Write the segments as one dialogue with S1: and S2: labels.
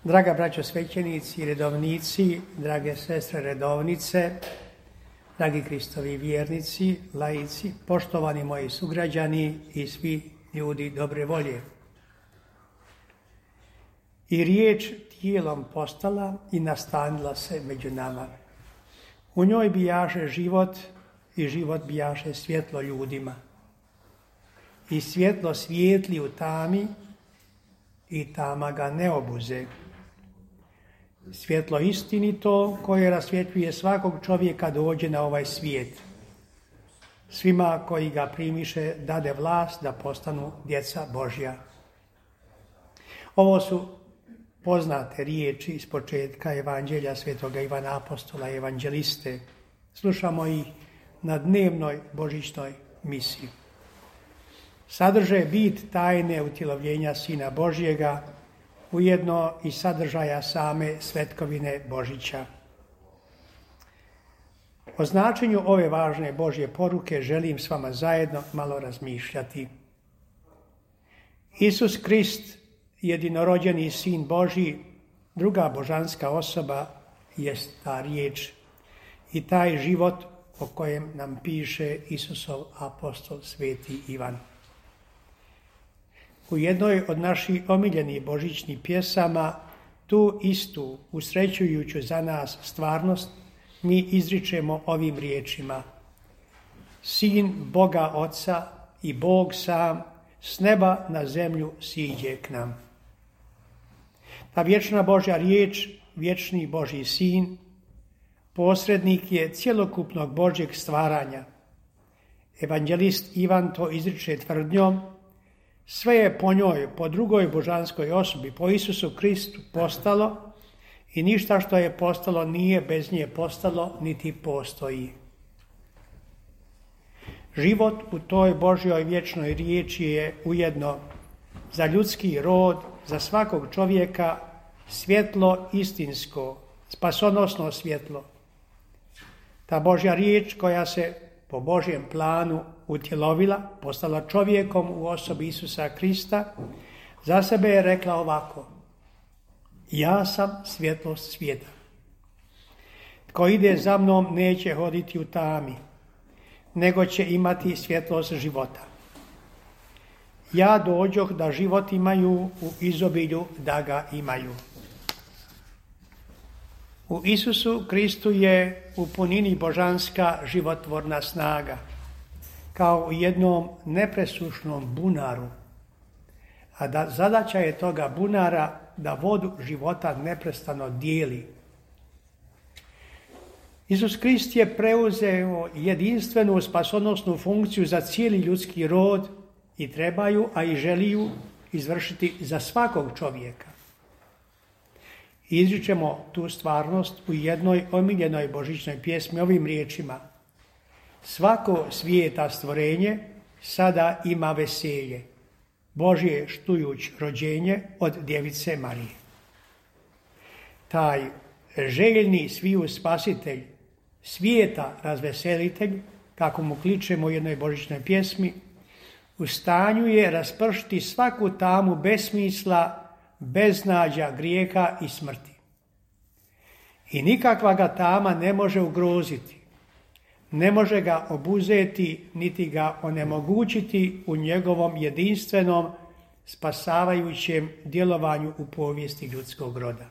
S1: Draga braćo svećenici i redovnici, drage sestre redovnice, dragi Kristovi vjernici, laici, poštovani moji sugrađani i svi ljudi dobre volje. I riječ tijelom postala i nastanila se među nama. U njoj bijaše život i život bijaše svjetlo ljudima. I svjetlo svijetli u tami i tama ga ne obuze. Svjetlo istinito koje rasvjetljuje svakog čovjeka dođe na ovaj svijet. Svima koji ga primiše dade vlast da postanu djeca Božja. Ovo su poznate riječi iz početka Evanđelja Svetoga Ivana Apostola i Evanđeliste. Slušamo ih na dnevnoj božićnoj misiji. Sadrže bit tajne utjelovljenja Sina Božjega, ujedno i sadržaja same svetkovine Božića. O značenju ove važne Božje poruke želim s vama zajedno malo razmišljati. Isus Krist, jedinorođeni Sin Božji, druga božanska osoba, jest ta riječ i taj život o kojem nam piše Isusov apostol Sveti Ivan. U jednoj od naših omiljenih božićnih pjesama, tu istu, usrećujuću za nas stvarnost, mi izričemo ovim riječima: Sin Boga Oca i Bog sam s neba na zemlju siđe k nam. Ta vječna Božja riječ, vječni Božji Sin, posrednik je cjelokupnog Božjeg stvaranja. Evanđelist Ivan to izriče tvrdnjom: sve je po njoj, po drugoj božanskoj osobi, po Isusu Kristu postalo i ništa što je postalo nije bez nje postalo, niti postoji. Život u toj Božjoj vječnoj riječi je ujedno za ljudski rod, za svakog čovjeka svjetlo istinsko, spasonosno svjetlo. Ta Božja riječ koja se po Božjem planu utjelovila, postala čovjekom u osobi Isusa Krista, za sebe je rekla ovako: ja sam svjetlost svijeta. Tko ide za mnom neće hoditi u tami, nego će imati svjetlost života. Ja dođoh da život imaju u izobilju da ga imaju. U Isusu Kristu je u punini božanska životvorna snaga, kao u jednom nepresušnom bunaru. A zadaća je toga bunara da vodu života neprestano dijeli. Isus Krist je preuzeo jedinstvenu spasonosnu funkciju za cijeli ljudski rod i trebaju, a i želiju izvršiti za svakog čovjeka. Izričemo tu stvarnost u jednoj omiljenoj božićnoj pjesmi ovim riječima: svako svijeta stvorenje sada ima veselje, Božje štujuć rođenje od djevice Marije. Taj željni sviju spasitelj, svijeta razveselitelj, kako mu kličemo u jednoj božićnoj pjesmi, u stanju je raspršiti svaku tamu besmisla, beznađa, grijeha i smrti. I nikakva ga tama ne može ugroziti, ne može ga obuzeti, niti ga onemogućiti u njegovom jedinstvenom, spasavajućem djelovanju u povijesti ljudskog roda.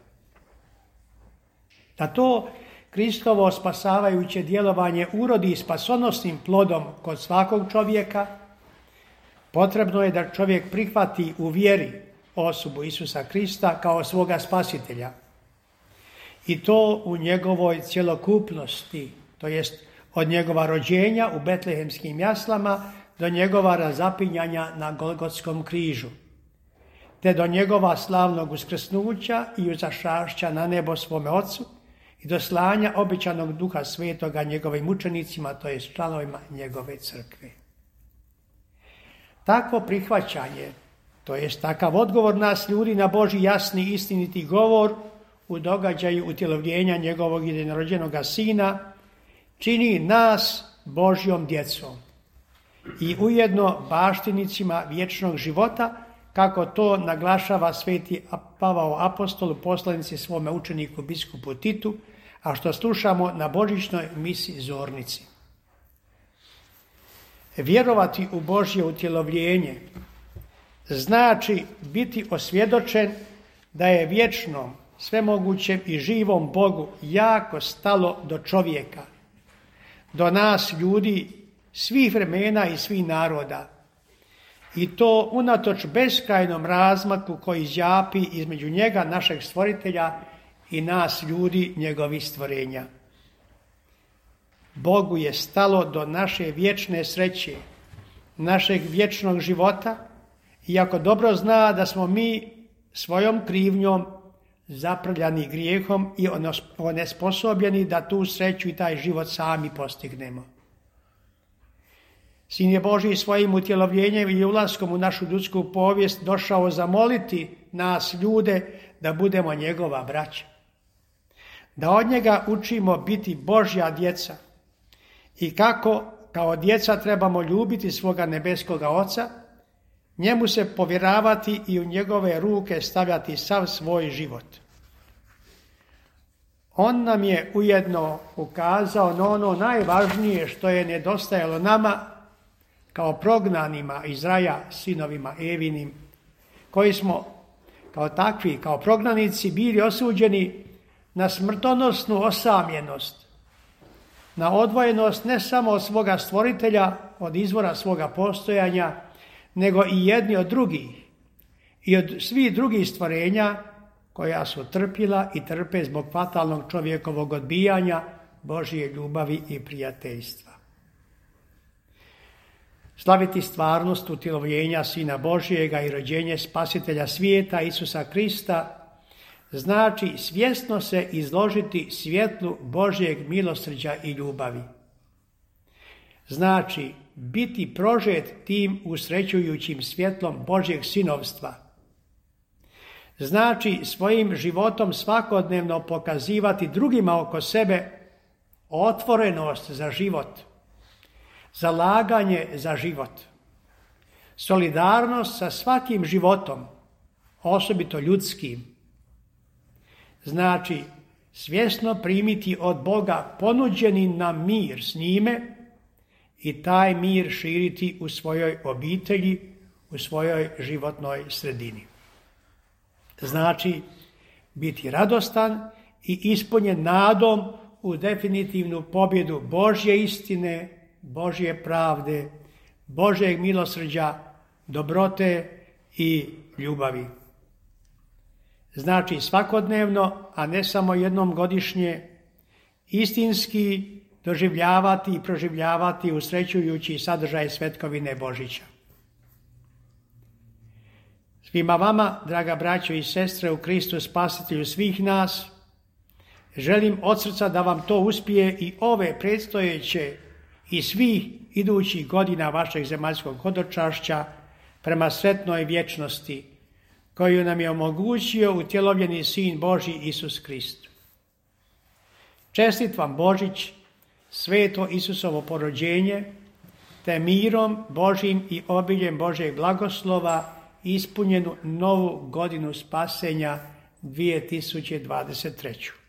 S1: Da to Kristovo spasavajuće djelovanje urodi spasonosnim plodom kod svakog čovjeka, potrebno je da čovjek prihvati u vjeri osobu Isusa Krista kao svoga spasitelja. I to u njegovoj cjelokupnosti, to jest od njegova rođenja u betlehemskim jaslama do njegova razapinjanja na Golgotskom križu, te do njegova slavnog uskrsnuća i uzašašća na nebo svome Otcu i do slanja obećanog Duha Svetoga njegovim učenicima, to jest članovima njegove crkve. Takvo prihvaćanje, to jest takav odgovor nas ljudi na Božji jasni istiniti govor u događaju utjelovljenja njegovog jedinorođenoga Sina, čini nas Božjom djecom i ujedno baštinicima vječnog života kako to naglašava sveti Pavao apostol u poslanici svome učeniku biskupu Titu, a što slušamo na božićnoj misi Zornici. Vjerovati u Božje utjelovljenje znači biti osvjedočen da je vječnom, svemogućem i živom Bogu jako stalo do čovjeka, do nas ljudi svih vremena i svih naroda. I to unatoč beskrajnom razmaku koji zjapi između njega, našeg stvoritelja, i nas ljudi, njegovih stvorenja. Bogu je stalo do naše vječne sreće, našeg vječnog života, iako dobro zna da smo mi svojom krivnjom zaprljani grijehom i onesposobljeni da tu sreću i taj život sami postignemo. Sin je Božji svojim utjelovljenjem i ulaskom u našu ljudsku povijest došao zamoliti nas ljude da budemo njegova braća. Da od njega učimo biti Božja djeca i kako kao djeca trebamo ljubiti svoga nebeskoga Oca, njemu se povjeravati i u njegove ruke stavljati sav svoj život. On nam je ujedno ukazao na ono najvažnije što je nedostajalo nama kao prognanima iz raja, sinovima Evinim, koji smo kao takvi, kao prognanici bili osuđeni na smrtonosnu osamljenost, na odvojenost ne samo od svoga stvoritelja, od izvora svoga postojanja, nego i jedni od drugih i od svih drugih stvorenja koja su trpila i trpe zbog fatalnog čovjekovog odbijanja Božje ljubavi i prijateljstva. Slaviti stvarnost utjelovljenja Sina Božjega i rođenje Spasitelja svijeta Isusa Krista znači svjesno se izložiti svjetlu Božjeg milosrđa i ljubavi. Znači biti prožet tim usrećujućim svjetlom Božjeg sinovstva. Znači svojim životom svakodnevno pokazivati drugima oko sebe otvorenost za život, zalaganje za život, solidarnost sa svakim životom, osobito ljudskim. Znači svjesno primiti od Boga ponuđeni nam mir s njime i taj mir širiti u svojoj obitelji, u svojoj životnoj sredini. Znači biti radostan i ispunjen nadom u definitivnu pobjedu Božje istine, Božje pravde, Božjeg milosrđa, dobrote i ljubavi. Znači svakodnevno, a ne samo jednom godišnje, istinski doživljavati i proživljavati usrećujući sadržaj svetkovine Božića. Svima vama, draga braćo i sestre u Kristu Spasitelju svih nas, želim od srca da vam to uspije i ove predstojeće i svih idućih godina vašeg zemaljskog hodočašća prema sretnoj vječnosti, koju nam je omogućio utjelovljeni Sin Božji Isus Krist. Čestit vam Božić, sveto Isusovo porođenje, te mirom Božjim i obiljem Božjeg blagoslova ispunjenu novu godinu spasenja 2023.